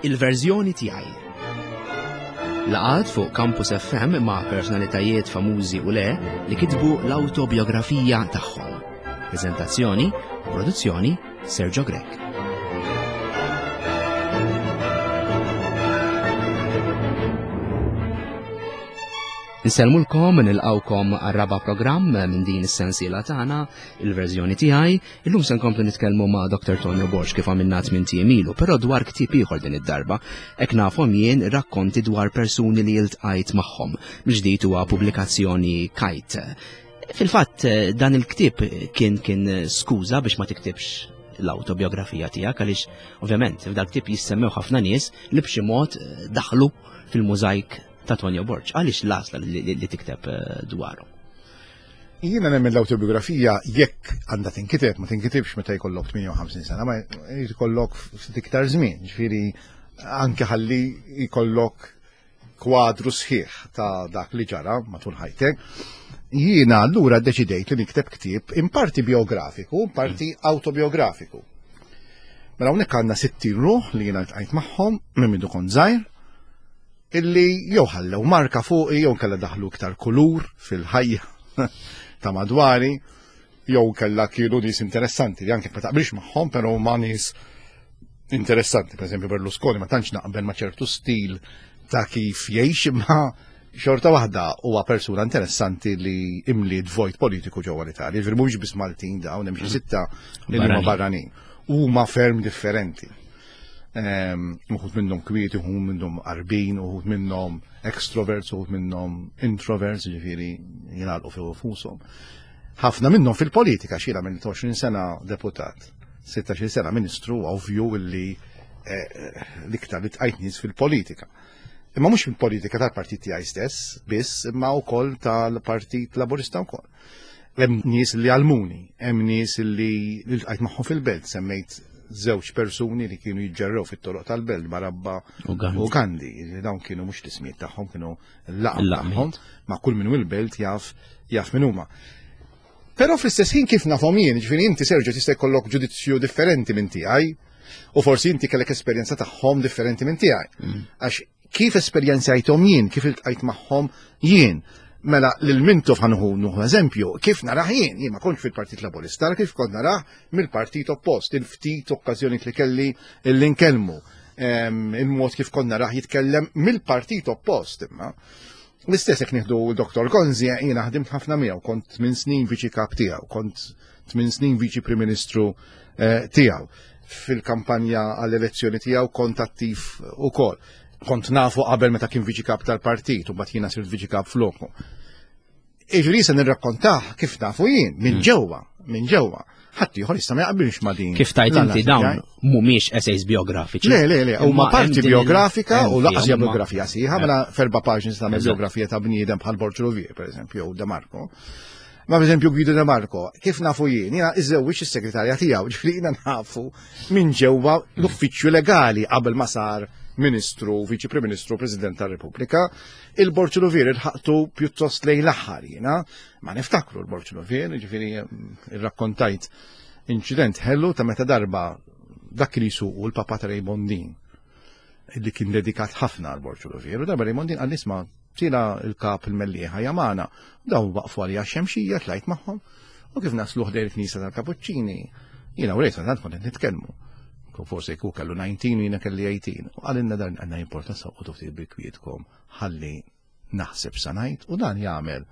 Il-verżjoni tiegħi. Laqgħat fuq Campus FM ma' personalitajiet famużi u le li kitbu l-awtobiografija tagħhom. Preżentazzjoni u produzzjoni Sergio Grech. Insellmulkom nilqawkom għar-raba' programm minn din is-sensiela tagħna, il-verżjoni tiegħi. Illum se nkomplu nitkellmu ma' Dr. Tonio Borg kif għamilna tmien tiem ilu, però dwar ktieb ieħor din id-darba. Hekk nafhom jien rakkonti dwar persuni li iltqajt magħhom. Mill-ġdid huwa pubblikazzjoni Kite. Fil-fatt dan il-ktieb kien kien skuża biex ma tiktibx l-autobiografija tiegħek għaliex ovvjament f'dal ktieb jissemmew ħafna nies li b'xi mod daħlu fil-mużajk ta' Tonio Borg. Għaliex l-għażla li tikteb eh, dwaru? Jiena nemmen l-autobiografija jekk għandha tinkiteb, ma tinkitibx meta jkollok 58 sena, ma jkollok ftit iktar żmien, ġifieri anke ħalli jkollok kwadru sħiħ ta' dak li ġara matul ħajtek. Jiena allura ddeċidejt li nikteb ktieb in parti biografiku, in parti autobiografiku. Mela hawnhekk għandna 60 ruħ li jiena ltqajt magħhom minn mindu kont żgħir illi jew ħallew marka fuqi jew kella daħlu iktar kulur fil-ħajja ta' madwari jew kella kienu nies interessanti li anke ma taqbilx magħhom però huma nies interessanti. Per eżempju Berlusconi ma tantx naqbel ma' ċertu stil ta' kif jgħix imma xorta waħda huwa persuna interessanti li imliet vojt politiku ġewwa l-Italja. Ġifieri mhumiex biss Maltin dawn hemm xi mm. sitta li huma barranin. Huma ferm differenti. Ehm, uħud minnhom kwieti, uħud minnhom qarbin, uħud minnhom extroverts, uħud minnhom introverts, ġifieri jingħalqu fi fushom. Ħafna minnhom fil-politika xira minn 20 sena deputat, 16 sena ministru, ovvju illi eh, l-iktar li tqajt nies fil-politika. Imma mhux fil-politika tal-partit tiegħi stess, biss, imma wkoll tal-Partit Laburista wkoll. Hemm nies li għalmuni, hemm nies li ltqajt magħhom fil-belt, semmejt żewġ persuni li kienu jiġġerrew fit-toroq tal-belt Barabba u Gandhi. Dawn kienu mhux l-ismijiet tagħhom, kienu l-laqam tagħhom, ma kull minn il-belt jaf jaf min huma. Però fl-istess ħin kif nafhom jien, ġifieri inti Sergio tista' jkollok ġudizzju differenti minn tiegħi, u forsi inti kellek esperjenza tagħhom differenti minn tiegħi. Mm. Għax kif esperjenzajthom jien, kif iltqajt magħhom jien. Mela lil Mintoff ħanħu nuħu eżempju, kif narah jien, jien ma kontx fil-Partit Laburista, kif kont narah mill-partit oppost, il-ftit okkażjoni li kelli li nkellmu, il-mod kif kont narah jitkellem mill-partit oppost imma. L-istess jekk nieħdu Dr. Gonzi, jiena ħdimt ħafna miegħu, kont minn snin viċi kap tiegħu, kont tmien snin viċi Prim Ministru eh, tiegħu. Fil-kampanja għall-elezzjoni tiegħu kont attiv ukoll. Kont nafu qabel meta kien viċi kap tal-partit u mbagħad jiena sirt viċi kap floku. Iġri se nirrakkontah kif nafu jien minn hmm. ġewwa, minn ġewwa. Ħadd ieħor jista' ma jaqbilx ma' din. Kif tajt inti dawn mhumiex essays biografiċi. Le, le, le, huma parti biografika u laqas hija biografija sieħa, mela ferba paġni tagħmel biografija ta' bniedem bħal Borġ Ruvier, pereżempju, jew De Marco. Ma per eżempju Guido De Marco, kif nafu jien, jiena iżewwiġ is-segretarja tiegħu, ġifieri jiena nafu minn ġewwa l-uffiċċju legali qabel ma sar Ministru, Viċi Prim Ministru, President tar-Repubblika. Il-Borġ Luvier ilħaqtu pjuttost lejn l-aħħar jiena, ma niftakru l-Borġ Luvier, ġifieri mm, irrakkontajt inċident ħellu ta' meta darba dak li jsuqu l-Papa ta' Raymondin li kien dedikat ħafna għal Borġ Luvier, u darba Raymondin għal nisma' Tila il-kap il-mellieħa jamana, daw waqfu għalija xemxija tlajt magħhom u kif naslu ħdejn il-knisja tal-Kapuċċini, jiena u rejsa tant kont nitkellmu. Forsi jkun kellu 19 u jiena kelli 18. U qalilna dan għandna jimporta saqgħu ftit bil-kwietkom ħalli naħseb sa ngħid u dan jagħmel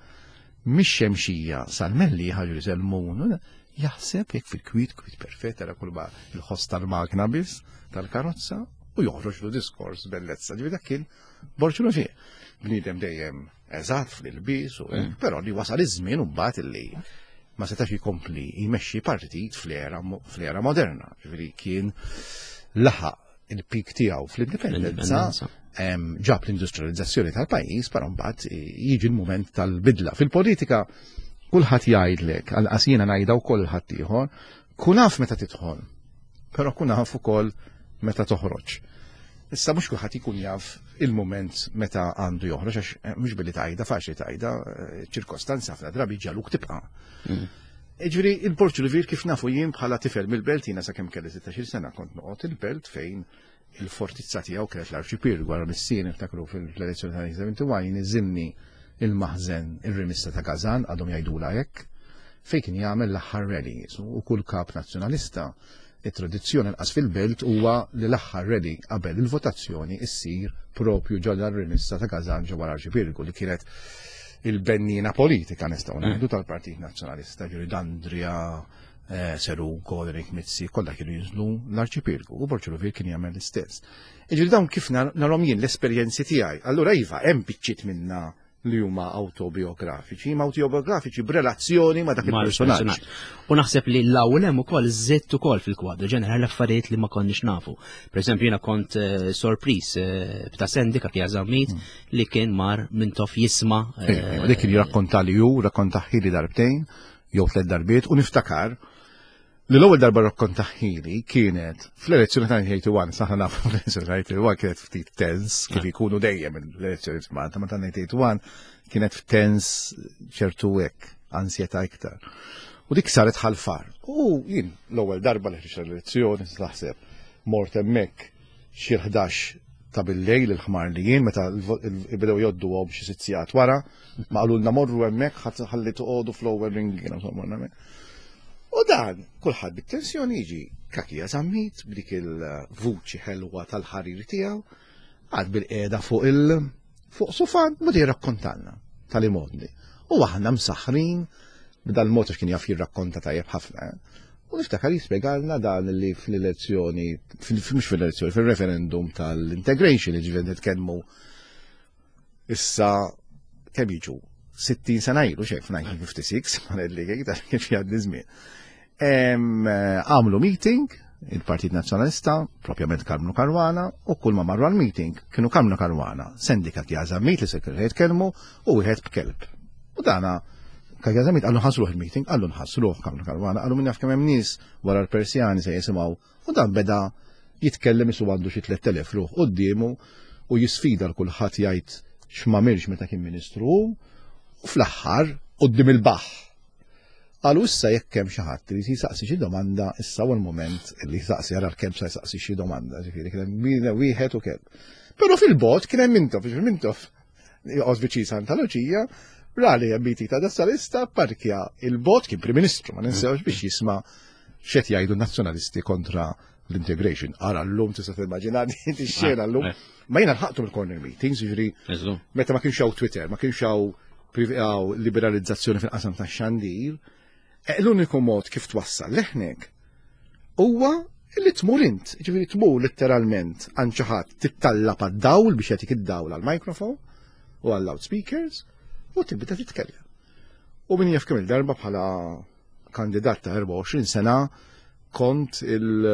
mix-xemxija sal-mellieħa ġuri selmun jaħseb jekk fil-kwiet kwiet perfett era kull il-ħoss tal-magna biss tal-karozza u joħroġ lu diskors bellezza. Ġifieri dak kien Borġ fih. Bniedem dejjem eżatt fl-ilbies u mm. però li wasal iż-żmien u mbagħad illi ma setax jkompli jmexxi partit fl-era moderna. Ġifieri kien laħaq il-pik tiegħu fl-indipendenza ġab l-industrializzazzjoni tal-pajjiż, però mbagħad jiġi l-mument tal-bidla. Fil-politika kulħadd jgħidlek, għal jiena ngħidha wkoll ħadd ieħor, kun af meta tidħol Però kun af ukoll meta toħroġ. Issa mhux kulħadd ikun jaf il-mument meta għandu joħroġ għax eh, mhux billi tgħidha faċli tgħidha eh, ċirkostanza ħafna drabi ġaluk tibqa'. Mm. Ġifieri il-Porċu Livir kif nafu jien bħala tifel mill-belt jiena sakemm kelli 16 sena kont noqgħod il-belt fejn Il-fortizza tiegħu kienet l-Arċipirgu, wara missieri niftakru fil-elezzjoni ta' 1971 niżilni il-maħżen ir-rimissa ta' Gazan, għadhom jgħidula hekk, fejn kien jagħmel l-aħħar rally. U kull kap nazzjonalista, it-tradizzjoni nqas fil-belt huwa li l-aħħar rally qabel il-votazzjoni issir propju ġodda r-rimissa ta' Gazan ġewwa l-Arċipirgu li kienet il-bennina politika nistgħu ngħidu tal-Partit Nazzjonalista, ġuri Dandria, eh, Serugo, Eric Mizzi, kollha kienu jinżlu l-Arċipirgu u Borġ Ruvier kien jagħmel l-istess. Iġri dawn kif narhom jien l-esperjenzi tiegħi. Allura iva, hemm biċċiet minna li huma autobiografiċi, ma autobiografiċi b'relazzjoni ma' dak il-personaġġ. U naħseb li l-ewwel hemm ukoll żitt ukoll fil-kwadru ġenerali affarijiet li ma konniex nafu. Per eżempju jiena kont eh, sorpriż eh, b'ta' Sendika kien Zammit hmm. li kien mar minn tof jisma'. Eh, dik kien jirrakkonta li hu, rakkonta ħili darbtejn jew tliet darbiet u niftakar Li l-ewwel darba rrakkontaħili kienet fl-elezzjoni ta' 1981, saħna nafu fl-elezzjoni ta' 1981 kienet ftit tens, kif ikunu dejjem l-elezzjoni f'Malta, ma ta' 1981 kienet tens ċertu hekk, ansjetà iktar. U dik saret ħalfar. U jien l-ewwel darba li ħriġt l-elezzjoni, taħseb, mort hemmhekk xi 11 ta' bil-lejl il-ħmar li jien meta bdew joddu għom xi sitt sigħat wara, ma qalulna morru hemmhekk ħalli toqogħdu fl-ewwel ring U dan, kulħadd bit-tensjoni jiġi kakija zammit b'dik il-vuċi ħelwa tal-ħarir tiegħu, għad bil-qiegħda fuq il fuq sufan u jirrakkontalna tal-imodni. U aħna msaħħrin b'dal-mod għax kien jaf jirrakkonta tajjeb ħafna. Eh? U niftakar jispjegalna dan li fl-elezzjoni, mhux fil-elezzjoni, fil-referendum tal-integration, ġifieri nitkellmu Issa kemm jiġu 60 sena ilu xejn f'1956, ma ngħidlek iktar kif jgħaddi żmien. Għamlu meeting il-Partit Nazzjonalista, propjament Karmnu Karwana, u kull ma marru għal-meeting kienu Karmnu Karwana, Sendika Kjażammit li se kienu jitkellmu u wieħed b'kelb. U dana Kjażammit għallu nħassruh il-meeting, għallu nħassruh Karmnu Karwana, għallu minn jaf kemm hemm nies wara l-Persjani se jisimgħu U dan beda jitkellem isu għandu xi 3000 ruħ quddiemu u jisfida l kulħadd jgħid x'm'għamilx meta kien ministru hu u fl-aħħar quddiem il-baħħ. Qalu issa jekk hemm xi ħadd li jisaqsi xi domanda, issa huwa l-mument li jisaqsi ara l-kelb sa jsaqsi xi domanda, ġifieri kien hemm wieħed u kelb. Però fil-bot kien hemm Mintoff, ġifieri Mintoff joqgħod viċin Santa Luċija, ra li hemm meeting ta' nazzjonalista, parkja il-bot kien Prim Ministru, ma ninsewx biex jisma' x'qed jgħidu nazzjonalisti kontra l-integration. Ara l-lum tista' timmaġina din ix-xena llum. Eh. Ma jiena lħaqtu mill-corner meetings, jiġri meta ma kienx hawn Twitter, ma kienx hawn liberalizzazzjoni fil-qasam tax-xandir, eh, l-uniku mod kif twassal leħnek huwa li tmur int, ġifieri tmur letteralment għand xi ħadd tittallab għad-dawl biex jagħtik id-dawl għall-microphone u għall-loudspeakers u tibda titkellem. U min jaf kemm il-darba bħala kandidat ta' 24 sena kont il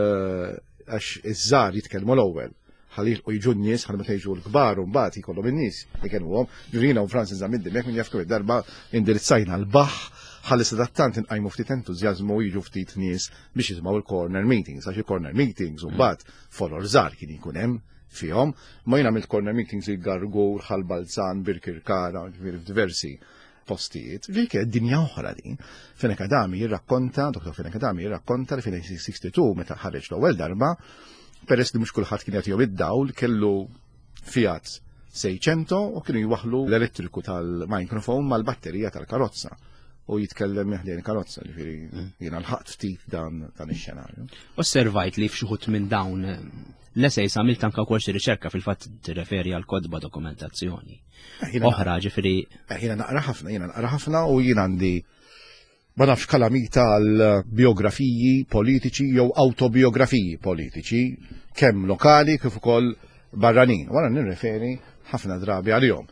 għax iż-żgħar jitkellmu l-ewwel ħalli jilqu jiġu n-nies ħalli meta jiġu l-kbar u mbagħad jkollhom in-nies ikellmuhom. Ġurina u Francis Zammit Dimech min jaf kemm darba indirizzajna l-baħ ħalli sadattant inqajmu ftit entużjażmu u jiġu ftit nies biex jisimgħu il-corner meetings, għax il-corner meetings u mbagħad folor żgħar kien jkun hemm fihom, ma jien għamilt corner meetings il-Gargur, Ħal Balzan, Birkirkara, ġifieri f'diversi postijiet, ġifieri kienet dinja oħra din. Fenech Adami jirrakkonta, Dr. Fenech Adami jirrakkonta li fil-1962 meta ħareġ l-ewwel darba, peress li mhux kulħadd kien jagħtihom id-dawl, kellu Fiat 600 u kienu jwaħlu l-elettriku tal-microphone mal-batterija tal-karozza u jitkellem ħdejn karozza, ġifieri mm. jiena lħaqt ftit dan dan ix-xenarju. Osservajt li f'xi minn dawn l-essays għamilt anka wkoll xi riċerka fil-fatt tirreferi għal kodba dokumentazzjoni. Eh, oħra ġifieri. Eh, jiena naqra ħafna, jiena naqra ħafna u jien għandi ma nafx kalamita għal biografiji politiċi jew autobiografiji politiċi, kemm lokali kif ukoll barranin. Wara nirreferi ħafna drabi għalihom.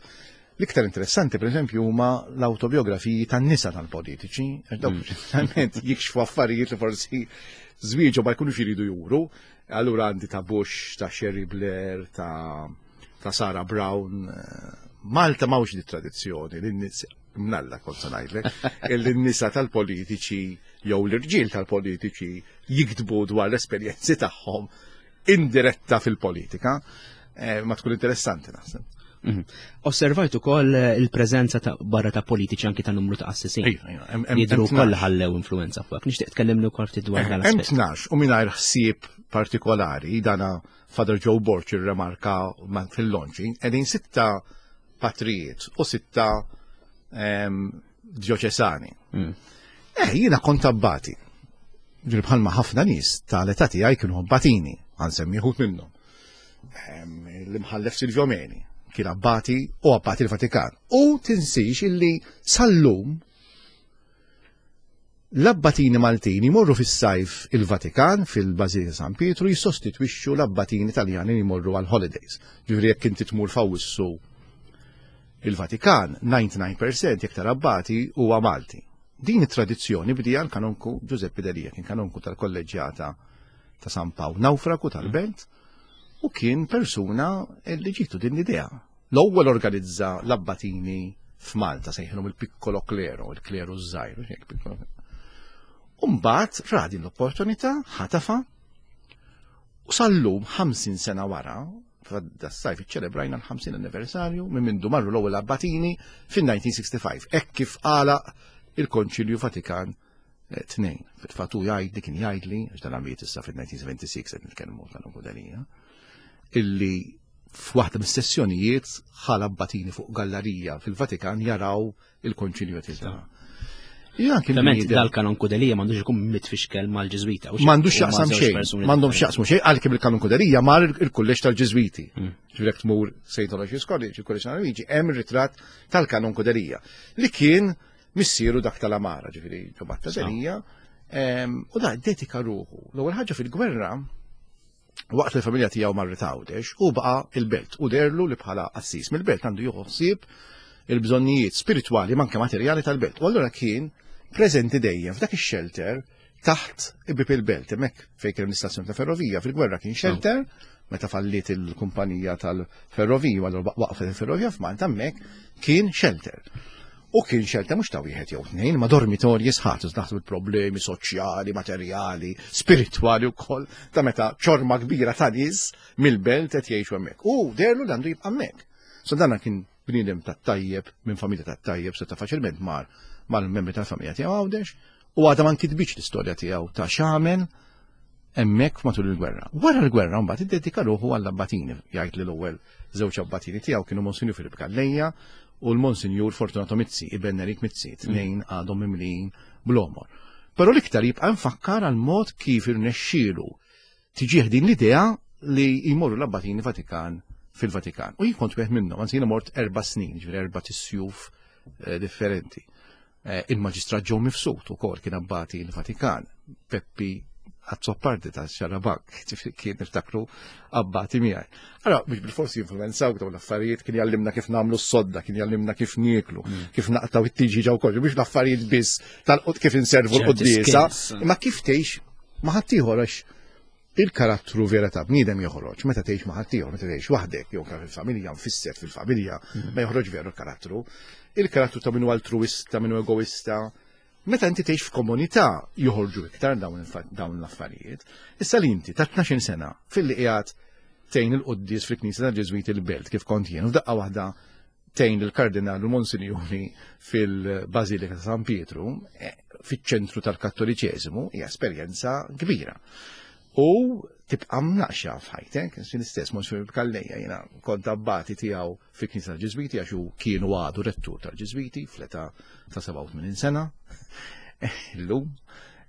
L-iktar interessanti, per eżempju, huma l-autobiografiji tan-nisa tal-politiċi, għax dawk mm. jikxfu affarijiet li forsi żwieġu ma jkunux jridu juru. Allura għandi ta' Bush, ta' Sherry Blair, ta' ta' Sarah Brown. Malta mawx di tradizzjoni li n-nies mnalla kont se ngħidlek, li n-nisa tal-politiċi jew l-irġiel tal-politiċi jiktbu dwar l-esperjenzi tagħhom indiretta fil-politika. Eh, ma tkun interessanti naħseb. Osservajt ukoll eh, il-preżenza ta' barra ta' politiċi anki ta' numru ta' qassisin. Jidhru wkoll ħallew influenza fuq. Nixtieq tkellimni wkoll ftit dwar dan Hemm 12 u mingħajr ħsieb partikolari dana Father Joe Borg irremarka fil-launching qegħdin sitta patrijiet u sitta ehm, djoċesani. Eh, jiena kont abbati. Ġifieri bħalma ħafna nies tal-età tiegħi kienu abbatini, għansemmi wħud minnhom. Ehm, l-imħallef Silvio Meni kien abbati u abbati l-Vatikan. U tinsix illi sal-lum l-abbatini Maltin jmorru fis-sajf il-Vatikan fil-Bażilika San Pietru jissostitwixxu l-abbatini Taljani li jmorru għal holidays. Ġifieri jekk inti tmur f'Awwissu il-Vatikan, 99% jekk tara abbati huwa Malti. Din it-tradizzjoni bdieha l-kanonku Giuseppe Delia, kien kanonku tal-kolleġġjata ta' San Pawl Nawfraku tal-Belt u kien persuna li ġietu din l-idea. L-ewwel organizza l-abbatini f'Malta sejħilhom il-piccolo klero, il-kleru żgħir, piccolo. U mbagħad ra din l-opportunità ħatafa u sal-lum 50 sena wara das-sajf iċċelebrajna l-50 anniversarju minn mindu marru l-ewwel abbatini fin-1965, hekk kif għalaq il-Konċilju Vatikan 2. Fil-fatt hu jgħid li kien jgħidli, għax dan għamiet issa fil-1976 qed nitkellmu tal-Ungudelija, illi f'waħda mis-sessjonijiet ħa l-abbatini fuq gallerija fil-Vatikan jaraw il-konċilju qed jiltaqa'. Ovvjament dal-kanon Kudelija m'għandux ikun mitfixkel mal-Ġiżwita. M'għandux x'jaqsam xejn, m'għandhom x'jaqsmu xejn għalkemm il-kanon Kudelija mar il-kulleġġ tal-Ġiżwiti. Ġifieri jekk tmur St. Aloysius College, il-Kulleġġ Luigi, hemm ir-ritratt tal-kanon Kudelija li kien missieru dak tal-Amara, ġifieri Ġobatta Delija, u da dedika ruħu. L-ewwel ħaġa fil-gwerra waqt li l-familja tiegħu marret Għawdex u baqa' il-belt u derlu li bħala qassis mill-belt għandu jieħu ħsieb il-bżonnijiet spiritwali manke materjali tal-belt. U allura kien preżenti dejjem f'dak ix-shelter taħt ibib il-belt, hemmhekk fejn kien l-istazzjon ta' ferrovija fil-gwerra kien shelter, meta falliet il-kumpanija tal-ferrovija, allura waqfet il-ferrovija f'Malta hemmhekk kien shelter. U kien xelta mhux ta' wieħed jew tnejn, ma' dormitorji sħat, naħsbu problemi soċjali, materjali, spiritwali wkoll ta' meta ċorma kbira ta' nies mill-belt qed jgħixu hemmhekk. U derlu li għandu jibqa' hemmhekk. So dan kien bniedem ta' tajjeb, minn familja ta' tajjeb, seta' faċilment mar mal-membri tal-familja tiegħu Għawdex, u għadha ma nkitbitx l-istorja tiegħu ta' x'għamel hemmhekk matul il-gwerra. Wara l-gwerra mbagħad iddedika ruħu għall-abbatini, jgħid li l-ewwel żewġ abbatini tiegħu kienu Monsinjur Filip Calleja u l-Monsinjur Fortunato Mizzi, iben Nerik Mizzi, tnejn għadhom mimlijin bl-għomor. Però l-iktar jibqa' mfakkar għal mod kif irnexxielu tiġih din l-idea li jmorru l-abbatini Vatikan fil-Vatikan. U jien kont wieħed minnhom, anzi jiena mort erba' snin, ġifieri erba' tisjuf eh, differenti. Eh, il-Maġistrat Joe Mifsud ukoll kien abbati l-Vatikan, Peppi Azzopardi ta' Xarabank, kien niftakru abbati miegħi. Allora, biex bil-forsi jinfluenzaw dawn l-affarijiet, kien jallimna kif nagħmlu s-sodda, kien jallimna kif nieklu, kif naqtaw it-tiġi ġew kollu, biex l-affarijiet biss tal-qud kif inservu l-quddiesa, imma kif tgħix ma' ħaddieħor għax il-karattru vera ta' bniedem joħroġ meta tgħix ma' ħaddieħor, meta tgħix waħdek, jew fil-familja, mfisser fil-familja, ma joħroġ veru l-karattru. Il-karattru ta' minnu altruista, minnu egoista. Meta inti tgħix f'komunità joħorġu iktar dawn l-affarijiet. Issa li inti ta' 12 sena filli qiegħed tgħin il-quddies fil-Knisja tal-Ġeżwiti l-Belt kif kont jien, u f'daqqa waħda tgħin il-Kardinal u Monsinjuri fil-Bażilika ta' San Pietru, eh, fiċ-ċentru tal-Kattoliċeżimu, hija esperjenza kbira. U tibqa' mnaqxa f'ħajtek, l-istess Monsinjur Calleja jiena kont abbati tiegħu fil-Knisja tal-Ġiżwiti għax hu kienu għadu rettur tal-Ġiżwiti fl-età ta' 87 sena. Illum,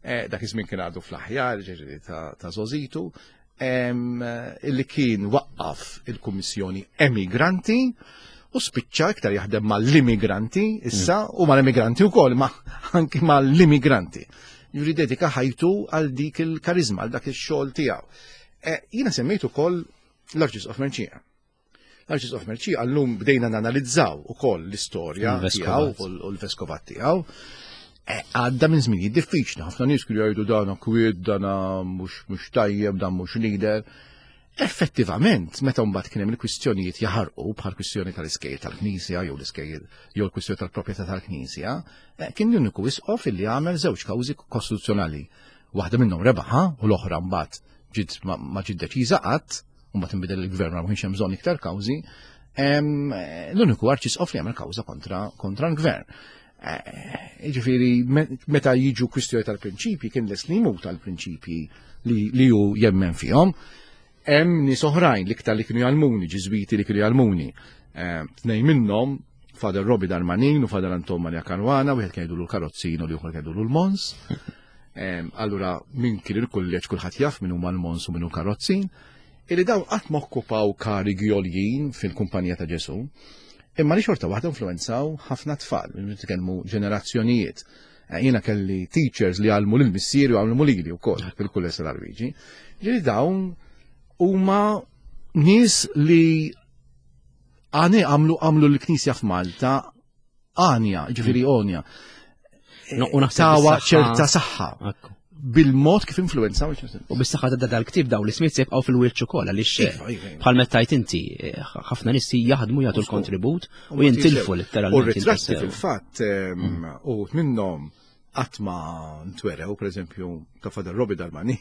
eh, dak iż-żmien kien għadu fl-aħjar, ġifieri ta' żożitu, illi kien waqqaf il-Kummissjoni Emigranti u spiċċa iktar jaħdem mal-immigranti issa mm. u mal-immigranti wkoll ma anki mal-immigranti. Juri dedika ħajtu għal dik il-karizma, għal dak ix-xogħol tiegħu. E, jiena semmejt ukoll l-Arċisqof Merċija. L-Arċisqof Merċija llum bdejna nanalizzaw ukoll l-istorja tiegħu u l-veskovat tiegħu. E, għadda minn żminijiet diffiċli, ħafna nies kienu jgħidu dan kwiet, dan mhux tajjeb, dan mhux leader. Effettivament, meta mbagħad kien hemm il-kwistjonijiet jaħarqu bħal kwistjoni tal-iskejjel tal-Knisja jew l-iskejjel jew l-kwistjoni tal-proprjetà tal-Knisja, e, kien l-uniku isqof illi għamel żewġ kawżi kostituzzjonali. Waħda minnhom rebaħa u l-oħra mbagħad ġiet ma ġiet deċiża qatt u mbagħad inbidel il-gvern ma kienx hemm bżonn iktar kawżi. L-uniku arċisqof li għamel kawża kontra, kontra l-gvern. Eh, ġifieri, meta jiġu kwistjoni tal-prinċipji, kien les li jmut tal-prinċipji li ju jemmen fihom. Hemm nies oħrajn l-iktar li kienu jgħallmuni, ġiżwiti li kienu jgħallmuni. Eh, tnejn minnhom, Father Robbie Darmanin u Father Anton Maria Caruana, wieħed kien jgħidulu l-karozzin u l-ieħor kien jgħidulu l-Mons. Allura min kien il-kulleġġ kulħadd jaf min huma l-Mons u min hu karozzin. Illi dawn qatt ma okkupaw karigi għoljin fil-Kumpanija ta' Ġesù, imma li xorta waħda influwenzaw ħafna tfal, nitkellmu ġenerazzjonijiet. Eh, jiena kelli teachers li għallmu lil missieri u għallmu lili wkoll fil-kulleġġ tal-Arwiġi. Ġieli dawn huma nies li għani għamlu għamlu l-Knisja f'Malta għanja, ġifiri mm. għonja. Tawa ċerta saħħa. Bil-mod kif influenza. U bis-saħħa ta' dal-ktib daw l-ismiet se jibqgħu fil-wiċċ ukoll għaliex eh, iva, iva, iva. bħal meta tajt inti eh, ħafna nies jaħdmu jagħtu l-kontribut u jintilfu letteralment. U ritratti fil-fatt ehm, mm. u minnhom qatt ma ntwerew, pereżempju, ta' Father Robbie Darmani,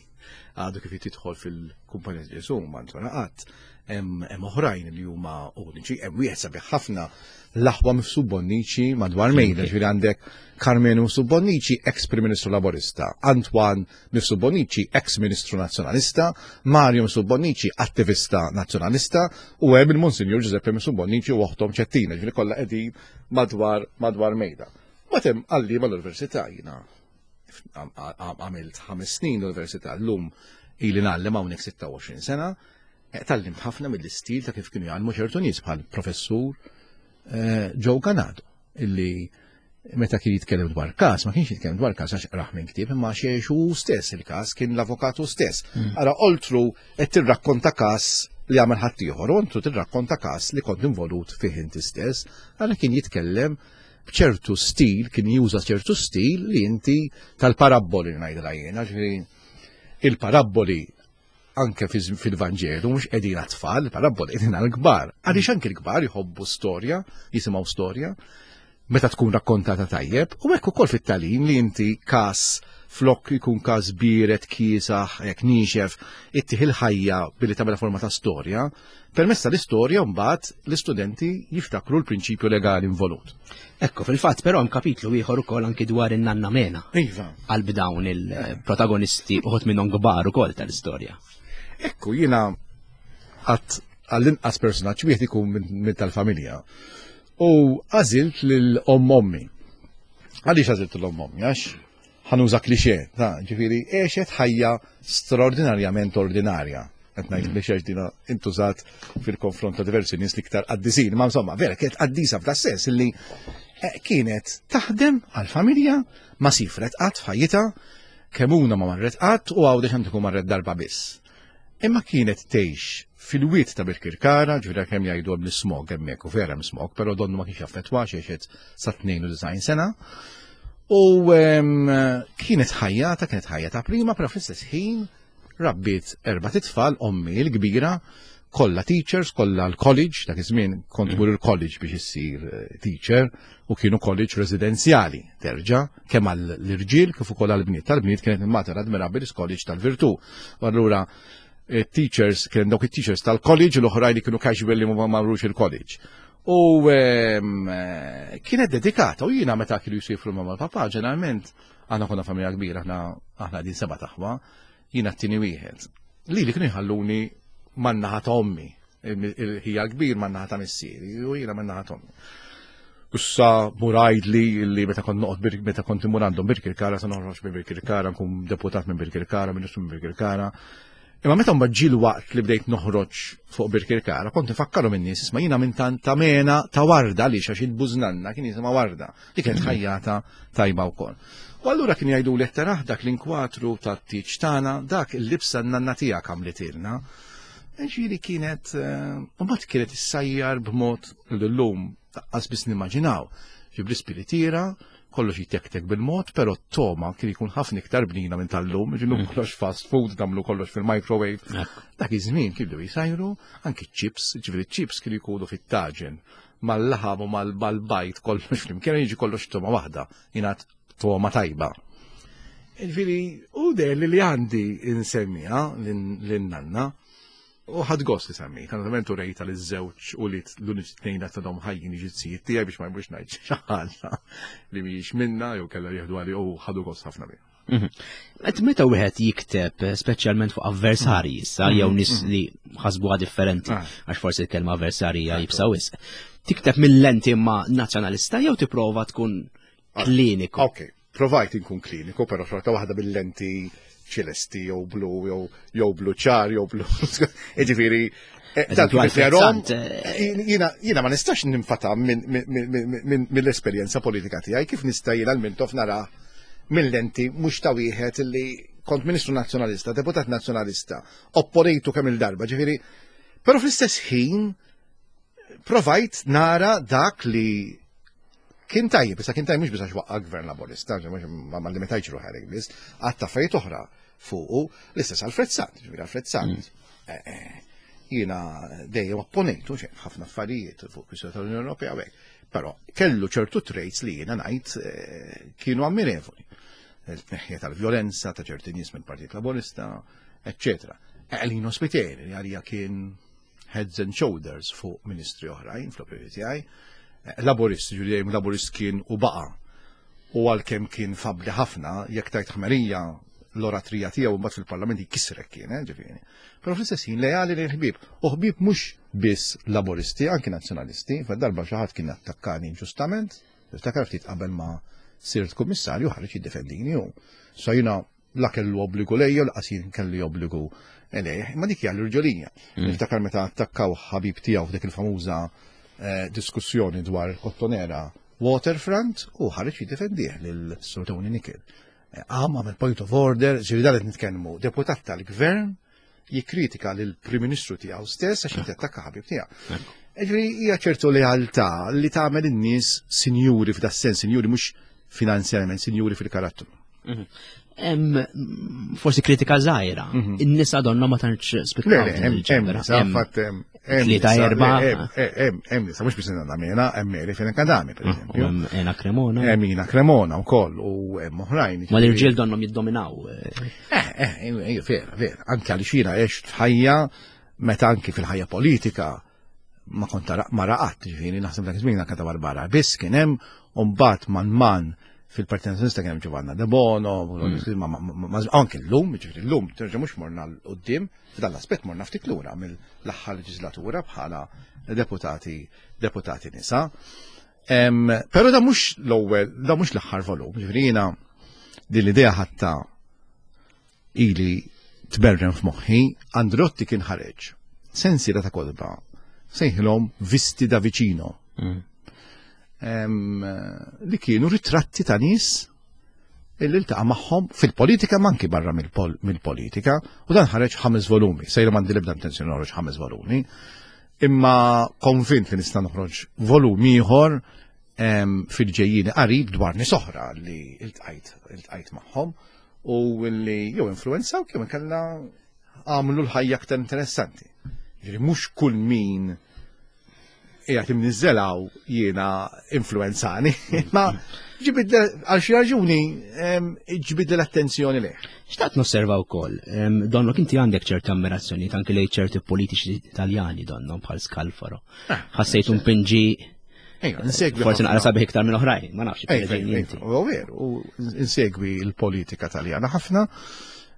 għadu kif jidħol fil-Kumpanija ta' Ġesù ma ntwera qatt. Hemm oħrajn li huma uniċi, hemm wieħed sabiħ ħafna l-aħwa Mifsud Bonnici madwar mejda, ġifieri għandek Karmenu Mifsud Bonnici, ex Prim Ministru Laburista, Antoine Mifsud Bonnici, ex Ministru Nazzjonalista, Mario Mifsud Bonnici, attivista Nazzjonalista, u hemm il-Monsinjur Giuseppe Mifsud Bonnici u oħtom Ċettina, ġifieri kollha qegħdin madwar madwar mejda. Mbagħad hemm għalliema l-università jiena għamilt ħames snin l-università llum ili ngħallem hawnhekk 26 sena, eh, tallimt ħafna mill-istil ta' kif kienu jgħallmu ċertu nies bħal professur eh, Joe Ganado illi meta kien jitkellem dwar każ, ma kienx jitkellem dwar każ għax qrah minn ktieb, imma xiex hu stess il-każ kien l-avukatu stess. Mm. Ara oltru qed tirrakkonta każ li għamel ħaddieħor, u oltru tirrakkonta każ li kont involut fih inti stess, ara kien jitkellem b'ċertu stil, kien juża ċertu stil li inti tal-parabboli ngħidilha jiena, ġifieri il-parabboli anke fil-Vanġelu mhux qegħdin għat-tfal, il-parabboli qegħdin għall-kbar. Għaliex anke l-kbar jħobbu storja, jisimgħu storja, meta tkun rakkontata tajjeb, u hekk ukoll fit-tagħlim li inti każ flok ikun każ biret, kiesaħ, jekk niexef, ittih il-ħajja billi tagħmilha forma ta' storja, Permezz tal-istorja mbagħad l-istudenti jiftakru l-prinċipju legali involut. Ekku, fil-fatt però hemm kapitlu ieħor ukoll anki dwar in-nanna Mena. Iva. Qalb dawn il-protagonisti uħud minnhom kbar ukoll tal-istorja. Ekku, jiena għat għall-inqas personaġġ wieħed ikun minn tal-familja. U għażilt lil omm ommi. Għaliex għażilt l omm ommi? Għax ħanuża klixè, ta' ġifieri għexet ħajja straordinarjament ordinarja. Qed ngħid klixè dina intużat fil-konfront ta' diversi nies l-iktar qaddisin, ma insomma, vera kienet qaddisa f'da sens illi eh, kienet taħdem għal-familja ma sifret qatt f'ħajjitha, kemuna ma marret qatt u għawdex hemm tkun marret darba biss. Imma kienet tgħix fil-wied ta' Birkirkara, ġifieri kemm jgħidu hemm l-ismog hemmhekk u vera hemm smog, però donnu ma kienx jaffettwa għex sa 92 sena. U kienet ħajjata, kienet ħajja ta' prima, però fl-istess ħin rabbiet erba' titfal, ommi l-kbira, kollha teachers, kollha l-college, dak iż-żmien kont tmur il-college biex issir eh, teacher, u kienu college residenzjali, terġa' kemm għall-irġiel kif ukoll għall-bniet. Tal-bniet kienet il-Mater Admirabilis College tal-Virtù. U allura eh, teachers, kien dawk it-teachers tal-college l-oħrajn li kienu casual li ma marrux il-college. U ehm, eh, kienet dedikata u jiena meta kienu jsifru ma' mal-papa ġeneralment aħna konna familja kbira, aħna aħna din seba' taħwa, jiena t-tieni wieħed. Li li kienu jħalluni man-naħa ta' ommi, il-ħija kbir man-naħa ta' missieri u jiena man-naħa ta' ommi. Issa murajd li li meta kont noqgħod meta kont imur għandhom Birkirkara se noħroġ minn Birkirkara, nkun deputat minn Birkirkara, ministru minn Birkirkara. Imma meta mbagħad ġie l-waqt li bdejt noħroġ fuq Birkirkara, kont nifakkaru minn nies isma' jiena minn tant ta' mena ta' warda għaliex għax il-bużnanna kien jisimha warda li kienet ħajjata tajba wkoll. U allura kien jgħidu li taraħ dak l-inkwatru tat-tieġ tagħna, dak il-libsa n-nanna tiegħek għamlitilna. Ġifieri kienet, eh, u mbagħad kienet issajjar b'mod l-lum Qas biss nimmaġinaw. Ġib l-ispiritiera, kollox jitektek bil-mod, pero t-toma kien ikun ħafna iktar bnina minn tal-lum, ġinu mm. kollox fast food, damlu kollox fil-microwave. Dak iż-żmien kienu jisajru anki chips, ġifieri chips kienu jkunu fit-taġen mal-laħam u mal-bajt kollox flimkien jiġi kollox toma waħda, jingħad toma tajba. Ġifieri u der li li għandi insemmija lin-nanna. U ħadd gost li semmejt, naturalment u rejta li żewġ u li l-uniċi tnejn qed tadhom ħajjin ġizzijiet tiegħi biex ma jmurx ngħid xi ħaġa li mhijiex minna jew kellha jieħdu għali u ħadu gost ħafna biha. Mhm. Qed meta wieħed jikteb speċjalment fuq avversarji issa jew mhm, nies mhm. li ħasbuha differenti ah. għax forsi l-kelma avversarji hija jibsa wisq. Tikteb mill-lenti ma' nazzjonalista jew tipprova tkun ah, kliniku. Ok, Provajt inkun kliniku, però xorta waħda bil-lenti ċelesti jew blu jew jew blu ċar jew blu. Jiġifieri eh, dan kif jarhom eh, jiena ma nistax ninfata mill-esperjenza politika tiegħi kif nista' jiena l-Mintoff nara mill-lenti mhux ta' wieħed li kont Ministru Nazzjonalista, Deputat Nazzjonalista, opponejtu kemm il-darba, ġifieri, però fl-istess ħin provajt nara dak li kien tajjeb, issa kien tajjeb mhux biss għax waqqa' gvern laburista, ma limitajtx ruħi għalhekk biss, għadd affarijiet oħra fuqu, l-istess Alfred Sant, ġifieri Alfred Sant. Mm. Eh, eh, jiena dejjem opponejtu xejn ħafna affarijiet fuq kwistjoni tal-Unjoni Ewropea u hekk. Però kellu ċertu traits li jiena ngħid eh, kienu ammirevoli. Il-tneħħija tal-vjolenza ta' ċerti nies mill-Partit Laburista, eccetera. Elino Spiteri li għalija kien heads and shoulders fuq ministri oħrajn fl-opinjoni tiegħi. Eh, Laburist, ġifieri dejjem Laburist kien u baqa'. U għalkemm kien fabli ħafna, jekk tajt ħmerija l-oratrija tiegħu mbagħad fil-parlament jkissrek kien, eh, ġifieri. Però fl-istess ħin leali lejn ħbieb. U ħbieb mhux biss Laburisti, anki nazzjonalisti, darba xi ħadd kien attakkani inġustament, niftakar ftit qabel ma sirt kummissarju ħareġ jiddefendini hu. So jiena la kellu obbligu lejja u laqas jien kelli obbligu lejh, imma dik hija l-irġolija. Mm. Niftakar meta attakkaw ħabib tiegħu f'dik il-famuża eh, diskussjoni dwar Kottonera Waterfront u ħareġ jiddefendih lil Sir Tony Nickel. Eh, għam għamel point of order, ġifieri dan qed nitkellmu, deputat tal-gvern jikkritika lil Prim Ministru tiegħu stess għax inti attakka ħabib tiegħu. Ġifieri hija ċertu lealtà li tagħmel in-nies sinjuri f'da sens, sinjuri mhux finanzjarjament, sinjuri fil-karattru. Mhm. Forsi kritika żgħira. Mhm. In-nisa donna ma tantx spikkaw. Hemm Tlieta erba. Hemm nisa mhux biss nagħmilha, hemm Mary fejn Kadami pereżempju. Hemm Ena Cremona. Hemm Ina Cremona wkoll u hemm oħrajn. Ma l-irġiel donhom jiddominaw. Eh, eh, eh, vera, vera. Anke għaliex jiena għext f'ħajja meta anki fil-ħajja politika ma kont ma raqat, ġifieri naħseb dak iż-żmien anke ta' Barbara biss kien hemm u mbagħad man man fil-Partit Nazzjonalista kien hemm Giovanna De Bono, mm. anke llum, ġifieri llum terġa' mhux morna l qudiem f'dan l-aspett morna ftit lura mill-aħħar leġislatura bħala deputati deputati nisa. Però da mhux l-ewwel, da mhux l-aħħar volum, ġifieri jiena din l-idea ħatta ili tberren f'moħħi, Androtti kien ħareġ sensiela ta' kotba sejħilhom Visti da Vicino. Mm. Li kienu ritratti ta' nies illi ltaqa' magħhom fil-politika ma anki barra mill-politika u dan ħareġ ħames volumi. Sejra m'għandi l-ebda intenzjoni noħroġ ħames volumi. Imma konvint li nista' noħroġ volum ieħor fil-ġejjini qarib dwar nies oħra li iltqajt magħhom u li jew influenzaw jew inkella għamlu l-ħajja aktar interessanti. Ġifieri mhux kull min qiegħed imniżżelaw jiena influenzani, ma ġibid għal xi raġuni ġibid l-attenzjoni leh. Xtaqt nosserva wkoll, donnok inti għandek ċerta ammirazzjoni anke lejn ċerti politiċi Italjani donnom bħal Scalfaro. Ah, Ħassejt un pinġi Insegwi. Forsi naqra sabiħ iktar minn oħrajn, ma nafx. U veru, u insegwi l-politika taljana ħafna,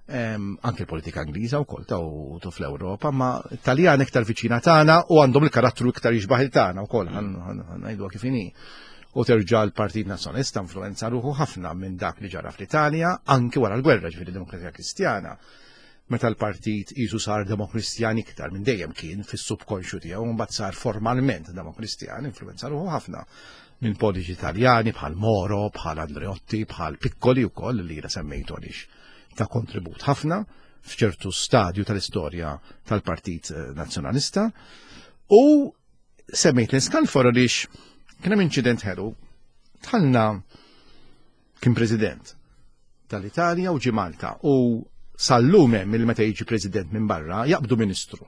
anke l-politika Ingliża wkoll ta' u fl-Ewropa, ma Taljan iktar viċina tagħna u għandhom il-karattru iktar jixbaħ il-tagħna wkoll, ngħidu kif inhi. U terġa' l-Partit Nazzjonalista influenza ruħu ħafna minn dak li ġara fl-Italja, anke wara l-gwerra ġifieri Demokrazija Kristjana meta l-partit qisu sar demokristjan iktar minn dejjem kien fis-subkonxju tiegħu mbagħad sar formalment demokristjan, influenza ruħu ħafna minn politiċi Taljani bħal Moro, bħal Andreotti, bħal Piccoli wkoll li jiena semmejtu għaliex ta' kontribut ħafna f'ċertu stadju tal-istorja tal-Partit eh, Nazzjonalista. U semmejt l-Scalfaro għaliex kien hemm inċident ħelu tħallna kien president tal-Italja u ġie Malta u sal-lum hemm il meta jiġi president minn barra jaqbdu ministru.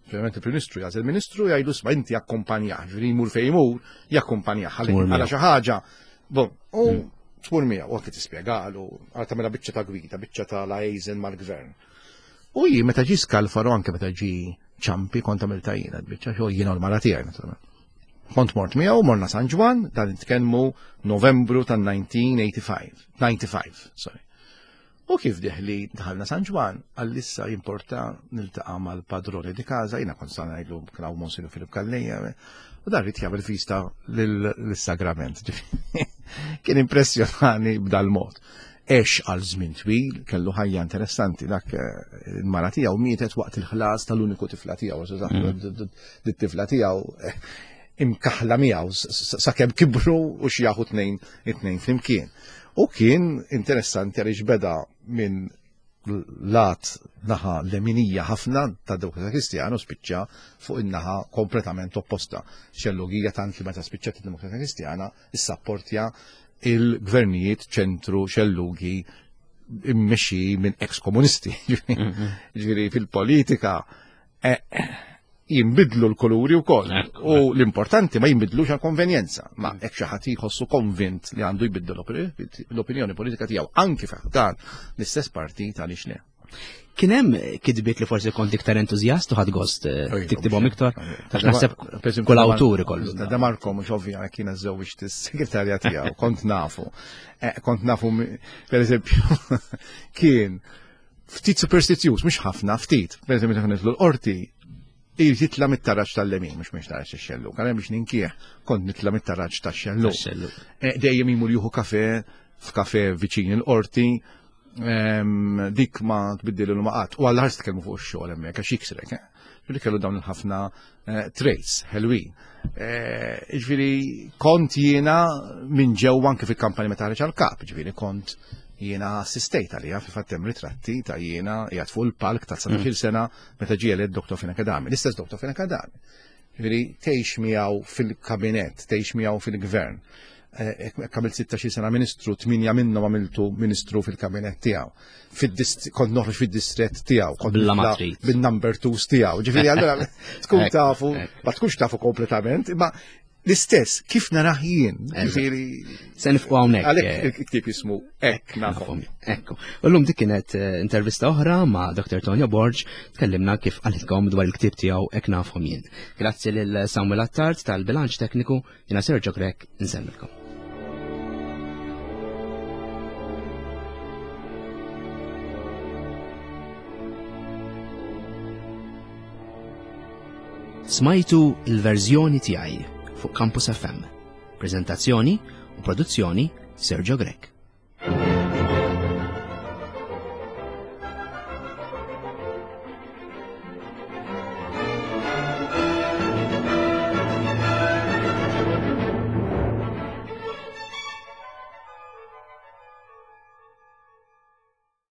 Ovvjament il-Prim Ministru jażel ministru jgħidu sma inti akkumpanjah, ġifieri jmur fejn jmur, jakkumpanjah għal xi ħaġa. Bon, u hmm. tmur miegħu u anke tispjegalu, għal tagħmilha biċċa ta' gwida, biċċa ta' liaison mal-gvern. U ji meta ġi Scalfaro anke meta ġi ċampi kont għamilta jiena biċċa xogħol jiena u l-mara tiegħi naturalment. Kont mort miegħu morna San Ġwann dan nitkellmu Novembru tan-1985, 95, sorry. U kif diħli dħalna San Ġwann, għall-issa jimporta niltaqa' mal-padrone di casa, jiena kont sa ngħidlu kien hawn Monsignor Filip Calleja, u dan rid jagħmel vista lill-sagrament. Kien impressjonani b'dal-mod. Għex għal żmien twil, kellu ħajja interessanti, dak eh, il-mara tiegħu mietet waqt il-ħlas tal-uniku tifla tiegħu, mm. dit-tifla tiegħu eh, imkaħla miegħu sakemm kibru u xjaħu tnejn it-tnejn flimkien. U kien interessanti għaliex beda minn lat naħa leminija ħafna ta' Demokrata Kristjana u spiċċa fuq in-naħa kompletament opposta. Xellugija tant li meta spiċċat id-Demokrata Kristjana issapportja il-gvernijiet ċentru xellugi immexxi minn ex-komunisti. Mhm. Ġifieri fil-politika eh, jimbidlu l-kuluri wkoll. U l-importanti ma jimbidlux għal konvenjenza, ma mm. hekk xi ħadd jħossu konvint li għandu jbiddu l-opinjoni politika tiegħu anki dan l-istess partit għaliex le. Kien hemm kitbiet li forsi kont iktar entużjast u ħadd gost eh, tiktibhom iktar, għax naħseb kull awtur ikollu. Da Marko mhux ovvja kien żewġ is-segretarja tiegħu, kont nafu. Eh, kont nafu pereżempju kien ftit superstizjuż, mhux ħafna, ftit. Pereżempju meta nitlu l-qorti, irid jitla mit-taraġ tal-lemin, mhux mhux taraġ tax-xellu. Kan biex ninkieħ kont nitla mit-taraġ tax-xellu. Eh, dejjem imur juhu kafe f'kafe viċin il-qorti, dik ma tbiddil l qatt. U għall ħars tkellmu fuq ix-xogħol hemmhekk għax jiksrek. Eh? Ġifieri kellu dawn il-ħafna eh, traits ħelwin. Eh, ġifieri kont jiena minn ġewwa anke fil-kampanja meta ħareġ għall-kap, ġifieri kont jiena assistejt għalija fi fatt hemm ritratti ta' jiena qiegħed fuq il-palk ta' 19 mm. sena meta ġie elett Dr. Fina Kadami, l-istess Dr. Fina Kadami. Ġifieri tgħix miegħu fil-kabinett, tgħix miegħu fil-gvern. Eh, għamilt 16 sena ministru, 8 minnhom għamiltu ministru fil-kabinett tiegħu. Kont noħroġ fid-distrett tiegħu, kont bin-number twos tiegħu. Ġifieri allura tkun tafu, ma tkunx tafu kompletament, imma l-istess kif narah jien, ġifieri. Se nifqu hawnhekk. Għalhekk eh, il-ktieb jismu hekk nafhom. Ekku. U llum dik kienet eh, intervista oħra ma' Dr. Tonio Borg, tkellimna kif qalilkom dwar il-ktieb tiegħu hekk nafhom jien. Grazzi lil Samuel Attard tal-bilanċ tekniku, jiena Sergio Grek nsemmilkom. Smajtu il-verżjoni tiegħi fuq Campus FM. Prezentazzjoni u produzzjoni Sergio Grech.